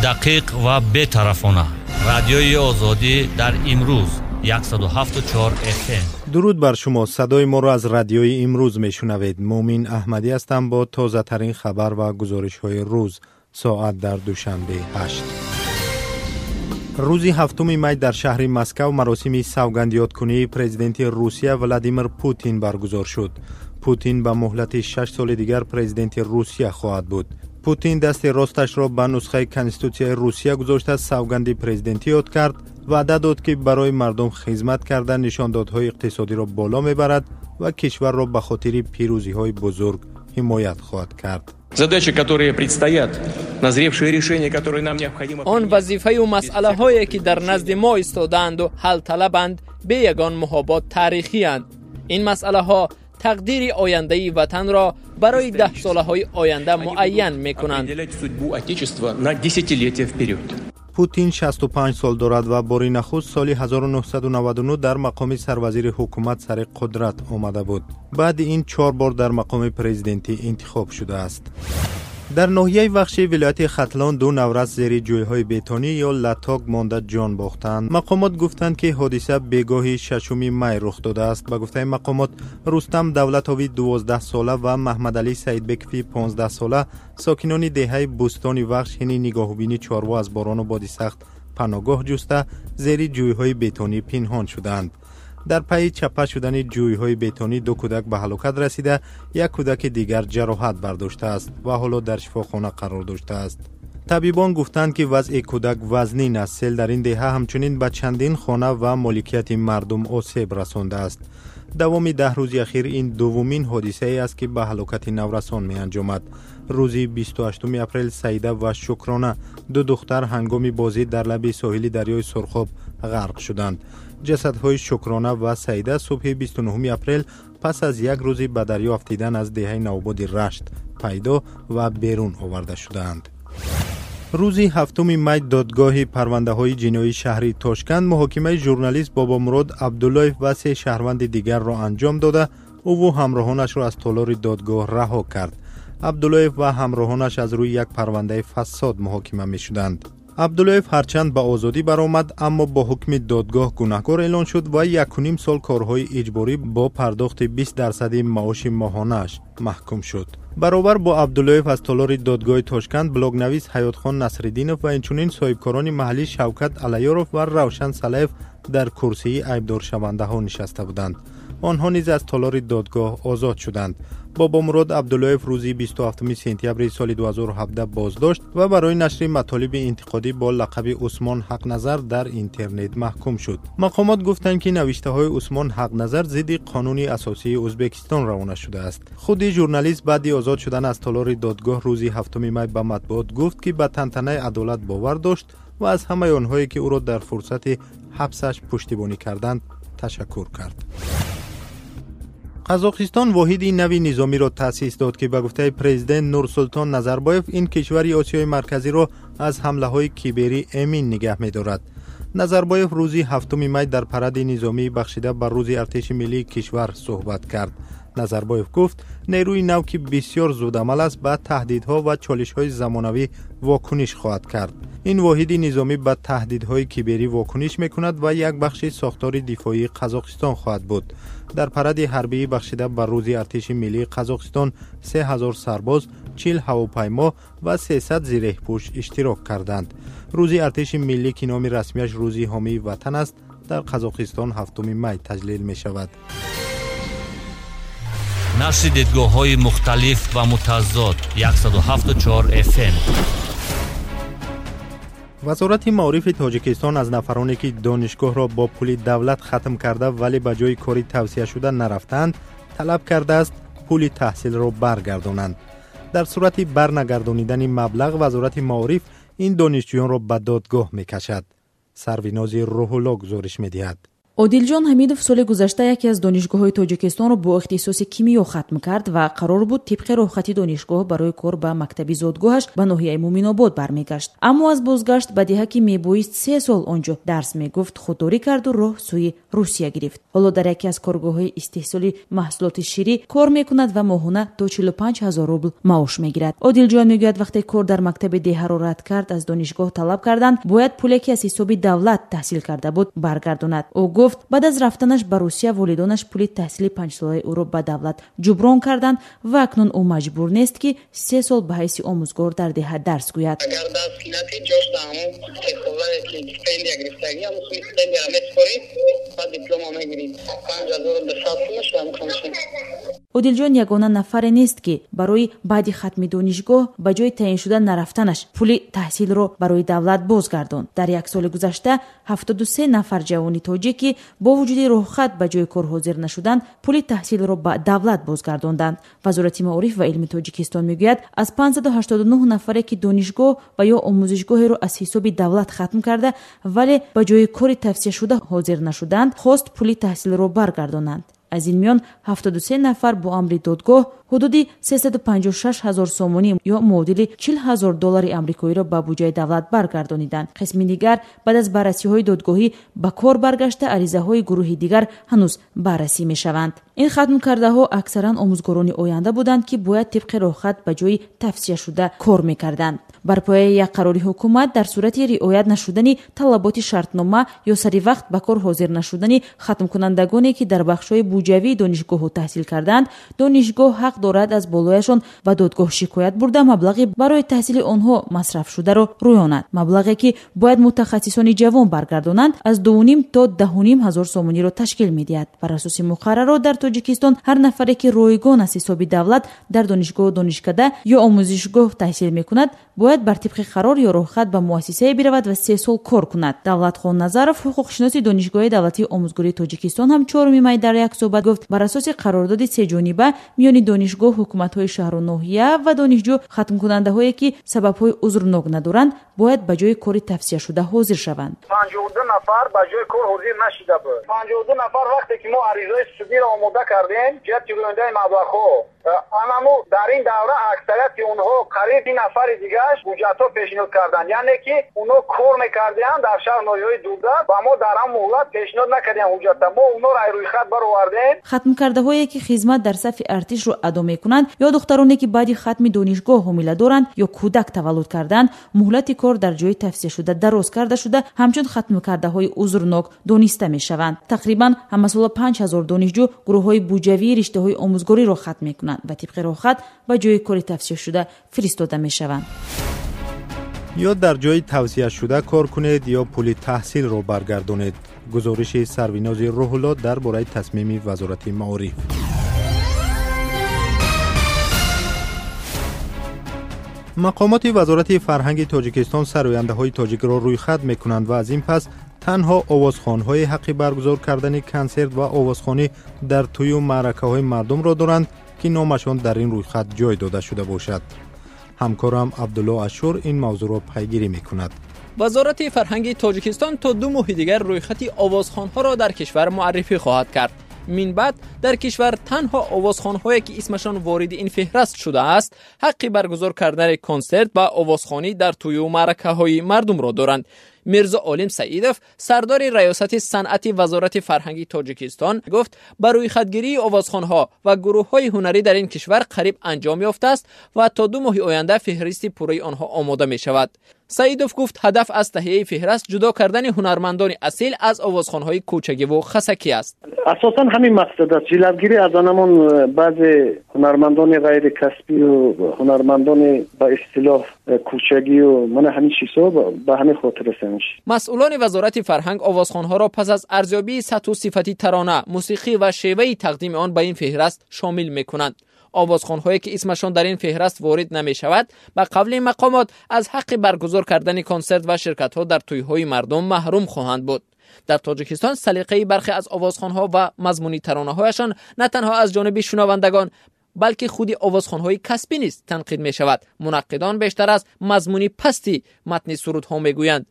Дақиқ ва бетарафона. Радиои Озодӣ дар имрӯз 107.4 FM. Дуруд бар шумо. Садои моро аз радиои имрӯз мешунавед. Муъмин Аҳмадӣ ҳастам бо тозатарин хабар ва гузоришҳои рӯз. Соат дар Душанбе 8. Рӯзи 7 май дар шаҳри Москав маросими савгандёдкунии президенти Русия Владимир Путин баргузор шуд. Путин ба муҳлати 6 соли дигар президенти Русия хоҳад буд. Путин дасти росташро ба нусхаи Конститутсияи Русия гузошта, савганди президентӣ ёд кард, ваъда дод, ки барои мардум хизмат карда, нишондодҳои иқтисодиро боло мебарад ва кишварро ба хотири пирӯзиҳои бузург ҳимоят хоҳад кард. Задачи, которые предстоят, назревшие решения, которые нам необходимо. Он вазифаю масъалаҳое, ки дар назди мо истодаанду ҳалталабанд, бе ягон муҳобот таърихиянд. Ин масъалаҳо тақдири ояндаи ватанро барои даҳсолаҳои оянда муайян мекунанд. Определять судьбу Отечества на десятилетия вперед. Путин 65 сол дорад ва бори нахуст соли 1999 дар мақоми сарвазири ҳукумат сари қудрат омада буд. Баъди ин чор бор дар мақоми президентӣ интихоб шудааст. Дар ноҳияи Вахши вилояти Хатлон ду наврас зери ҷӯйҳои бетонӣ ё латок монда ҷон бохтанд. Мақомот гуфтанд, ки ҳодиса бегоҳи 6 май рух додааст. Ба гуфтаи мақомот, Рустам Давлатови 12-сола ва Маҳмадалӣ Саидбекови 15-сола, сокинони деҳаи Бӯстони Вахш, ҳини нигоҳубини чорво аз борону боди сахт паноҳгоҳ ҷуста, зери ҷӯйҳои бетонӣ пинҳон шуданд. Дар пайи чаппа шудани ҷӯйҳои бетонӣ ду кӯдак ба ҳалокат расида, як кӯдаки дигар ҷароҳат бардоштааст ва ҳоло дар шифохона қарор доштааст. Табибон гуфтанд, ки вазъи кӯдак вазнин аст. Сел дар ин деҳа ҳамчунин ба чандин хона ва моликияти мардум осеб расондааст. Давоми 10 рӯзи ахир ин дуввумин ҳодисае аст, ки ба ҳалокати наврасон меанҷомад. Рӯзи 28 апрел Саида ва Шукрона, ду духтар, ҳангоми бозӣ дар лаби соҳили дарёи Сурхоб ғарқ шуданд. Ҷасадҳои Шукрона ва Саида субҳи 29 апрел пас аз як рӯзи ба дарё афтидан аз деҳаи Навободи Рашт пайдо ва берун оварда шудаанд. Рӯзи 7 май додгоҳи парвандаҳои ҷиноии шаҳри Тошканд муҳокимаи журналист Бобомурод Абдуллоев ва се шаҳрванди дигарро анҷом дода, ӯву ҳамроҳонашро аз толори додгоҳ раҳо кард. Абдуллоев ва ҳамроҳонаш аз рӯи як парвандаи фасод муҳокима мешуданд. Абдуллоев ҳарчанд ба озодӣ баромад, аммо бо ҳукми додгоҳ гунаҳкор эълон шуд ва 1,5 сол корҳои иҷборӣ бо пардохти 20 дарсади маоши моҳонааш маҳкум шуд. Баробар бо Абдуллоев аз толори додгоҳи Тошканд блогнавис Ҳаётхон Насриддинов ва инчунин соҳибкорони маҳаллӣ Шавкат Алаёров ва Равшан Салаев дар курсии айбдоршавандаҳо нишаста буданд. Онҳо низ аз толори додгоҳ озод шуданд. Бобомурод Абдуллоев рӯзи 27 сентябри соли 2017 боздошт ва барои нашри матолиби интиқодӣ бо лақаби Усмон Ҳақназар дар интернет маҳкум шуд. Мақомот гуфтанд, ки навиштаҳои Усмон Ҳақназар зидди қонуни асосии Ӯзбекистон равона шудааст. Худи журналист баъди озод шудан аз толори додгоҳ рӯзи 7 май ба матбуот гуфт, ки ба тантанаи адолат бовар дошт ва аз ҳамаи онҳое, ки ӯро дар фурсати ҳабсаш пуштибонӣ карданд, ташаккур кард. Қазоқистон воҳиди нави низомиро таъсис дод, ки ба гуфтаи президент Нурсултон Назарбоев ин кишвари Осиёи Марказиро аз ҳамлаҳои киберӣ эмин нигаҳ медорад. Назарбоев рӯзи 7 май дар паради низомии бахшида ба рӯзи артиши миллии кишвар суҳбат кард. Назарбоев гуфт, нерӯи нав, ки бисёр зудамал аст, ба таҳдидҳо ва чолишҳои замонавӣ вокуниш хоҳад кард. Ин воҳиди низомӣ ба таҳдидҳои киберӣ вокуниш мекунад ва як бахши сохтори дифоии Қазоқистон хоҳад буд. Дар паради ҳарбии бахшида ба рӯзи артиши миллии Қазоқистон 3000 сарбоз, 40 ҳавопаймо ва 300 зиреҳпӯш иштирок карданд. Рӯзи артиши миллӣ, ки номи расмияш рӯзи ҳомии ватан аст, дар Қазоқистон 7 май таҷлил мешавад. Нашри дидгоҳҳои мухталиф ва мутазод, 107.4 FM. Вазорати маорифи Тоҷикистон аз нафароне, ки донишгоҳро бо пули давлат хатм карда, вале ба ҷои кори тавсияшуда нарафтаанд, талаб кардааст пули таҳсилро баргардонанд. Дар сурати барнагардонидани маблағ вазорати маориф ин донишҷӯёнро ба додгоҳ мекашад. Сарвинози Рӯҳулло гузориш медиҳад. Одилҷон Ҳамидов соли гузашта яке аз донишгоҳҳои Тоҷикистонро бо ихтисоси кимиё хатм кард ва қарор буд тибқи роҳхати донишгоҳ барои кор ба мактаби зодгоҳаш ба ноҳияи Муминобод бармегашт. Аммо аз бозгашт ба деҳа, ки мебоист 3 сол он ҷо дарс мегуфт, худдорӣ карду роҳ сӯи Русия гирифт. Ҳоло дар яке аз коргоҳҳои истеҳсоли маҳсулоти ширӣ кор мекунад ва моҳона то 45 ҳазор рубл маош мегирад. Одилҷон мегӯяд, вақте кор дар мактаби деҳаро рад кард, аз донишгоҳ талаб карданд, бояд пуле, ки аз ҳисоби давлат таҳсил карда буд, баргардонад. Ӯ гуфт, баъд аз рафтанаш ба Русия волидонаш пули таҳсили 5-солаи ӯро ба давлат ҷуброн карданд ва акнун ӯ маҷбур нест, ки 3 сол ба ҳайси омӯзгор дар деҳа дарс гӯяд. Агар дарс надиҳӣ, ҷош дар ҳамон сесолае, ки стипендия гирифтагӣ, ҳамон суми стипендияро месупорӣ ва диплома мегирӣ. 5200 сум мешавад ҳамон. Одилҷон ягона нафаре нест, ки барои баъди хатми донишгоҳ ба ҷои таъиншуда нарафтанаш пули таҳсилро барои давлат бозгардонд. Дар як соли гузашта 73 нафар ҷавони тоҷик, ки бо вуҷуди роҳхат ба ҷои кор ҳозир нашуданд, пули таҳсилро ба давлат бозгардонданд. Вазорати маориф ва илми Тоҷикистон мегӯяд, аз 589 нафаре, ки донишгоҳ ва ё омӯзишгоҳеро аз ҳисоби давлат хатм карда, вале ба ҷои кори тавсияшуда ҳозир нашуданд, хост пули таҳсилро баргардонанд. Аз ин миён 73 нафар бо амри додгоҳ ҳудуди 356 ҳазор сомонӣ ё муодили 40 ҳазор доллари амрикоиро ба буҷаи давлат баргардониданд. Қисми дигар баъд аз баррасиҳои додгоҳӣ ба кор баргашта, аризаҳои гурӯҳи дигар ҳанӯз баррасӣ мешаванд. Ин хатмкардаҳо аксаран омӯзгорони оянда буданд, ки бояд тибқи роҳхат ба ҷои тавсияшуда кор мекарданд. Бар пояи як қарори ҳукумат, дар сурати риоят нашудани талаботи шартнома ё сари вақт ба кор ҳозир нашудани хатмкунандагоне, ки дар бахшҳои буҷавии донишгоҳҳо таҳсил карданд, донишгоҳ ҳақ дорад аз болояшон ба додгоҳ шикоят бурда, маблағи барои таҳсили онҳо масрафшударо рӯёнад. Маблағе, ки бояд мутахассисони ҷавон баргардонанд, аз 2,5 то 10,5 ҳазор сомониро ташкил медиҳад. Бар асоси муқаррарот дар Тоҷикистон ҳар нафаре, ки ройгон аз ҳисоби давлат дар донишгоҳу донишкада ё омӯзишгоҳ таҳсил мекунад, бояд бар тибқи қарор ё роҳхат ба муассисае биравад ва 3 сол кор кунад. Давлатхон Назаров, ҳуқуқшиноси Донишгоҳи давлатии омӯзгории Тоҷикистон, ҳам 4 май дар як суҳбат гуфт, бар асоси қарордоди сеҷониба миёни донишгоҳ, ҳукуматҳои шаҳру ноҳия ва донишҷӯ, хатмкунандаҳое, ки сабабҳои узрнок надоранд, бояд ба ҷои кори тавсияшуда ҳозир шаванд. 52 нафар ба ҷои кор ҳозир нашида буд. 52 нафар вақте ки мо аризаи судиро омода кардем ҷиҳати рӯёндаи маблағҳо, анамо дар ин давра аксарияти онҳо, қариб 10 нафари дигараш, ҳуҷҷатҳо пешниҳод карданд, яъне ки онҳо кор мекардианд дар шаҳр ноҳияҳои дурдаст ва мо дар ҳам муҳлат пешниҳод накардем ҳуҷҷатта. Мо онҳоро аз рӯйхат баровардем. Хатмкардаҳое, ки хизмат дар сафи артишро адо мекунанд ё духтароне, ки баъди хатми донишгоҳ ҳомила доранд ё кӯдак таваллуд карданд, муҳлати кор дар ҷои тавсияшуда дароз карда шуда, ҳамчун хатмкардаҳои узрнок дониста мешаванд. Тақрибан ҳамасола 5000 донишҷӯ гурӯҳҳои буҷавии риштаҳои омӯзгориро хатм мекунанд ва тибқи роҳхат ба ҷои кори тавсияшуда фиристода мешаванд. Ё дар ҷои тавсияшуда кор кунед, ё пули таҳсилро баргардонед. Гузориши Сарвинози Рӯҳулло дар бораи тасмими Вазорати маориф. Мақомоти Вазорати фарҳанги Тоҷикистон сарояндаҳои тоҷикро рӯйхат мекунанд ва аз ин пас танҳо овозхонҳои ҳаққи баргузор кардани консерт ва овозхонӣ дар тӯю маъракаҳои мардумро доранд, ки номашон дар ин рӯйхат ҷой дода шуда бошад. Ҳамкорам Абдулло Ашур ин мавзӯъро пайгирӣ мекунад. Вазорати фарҳанги Тоҷикистон то 2 моҳи дигар рӯйхати овозхонҳоро дар кишвар муаррифӣ хоҳад кард. Мин баъд дар кишвар танҳо овозхонҳое, ки исмашон вориди ин феҳрист шудааст, ҳаққи баргузор кардани консерт ва овозхонӣ дар тӯю маъракаҳои мардумро доранд. Мирзо Олим Саидов, сардори раёсати санъати Вазорати фарҳанги Тоҷикистон, гуфт, ба рӯйхатгирии овозхонҳо ва гурӯҳҳои ҳунарӣ дар ин кишвар қариб анҷом ёфтааст ва то 2 моҳи оянда феҳристи пурраи онҳо омода мешавад. Саидов гуфт, ҳадаф аз таҳияи феҳрист ҷудо кардани ҳунармандони асил аз овозхонҳои кӯчагиву хасакӣ аст. Асосан ҳамин мақсад аст, ҷилавгирӣ аз анамон баъзе ҳунармандони ғайрикасбию ҳунармандони ба истилоҳ кӯчагию мана ҳамин чизҳо, ба ҳамин хотир аст. Масъулони Вазорати фарҳанг овозхонҳоро пас аз арзёбии сатҳу сифати тарона, мусиқӣ ва шеваи тақдими он ба ин феҳрист шомил мекунанд. Овозхонҳое, ки исмашон дар ин феҳрист ворид намешавад, ба қавли мақомот аз ҳаққи баргузор кардани консерт ва ширкатҳо дар тӯйҳои мардум маҳрум хоҳанд буд. Дар Тоҷикистон салиқаи бархе аз овозхонҳо ва мазмуни таронаҳояшон на танҳо аз ҷониби шунавандагон, балки худи овозхонҳои касбӣ низ танқид мешавад. Мунаққидон бештар аз мазмуни пасти матни сурудҳо мегӯянд.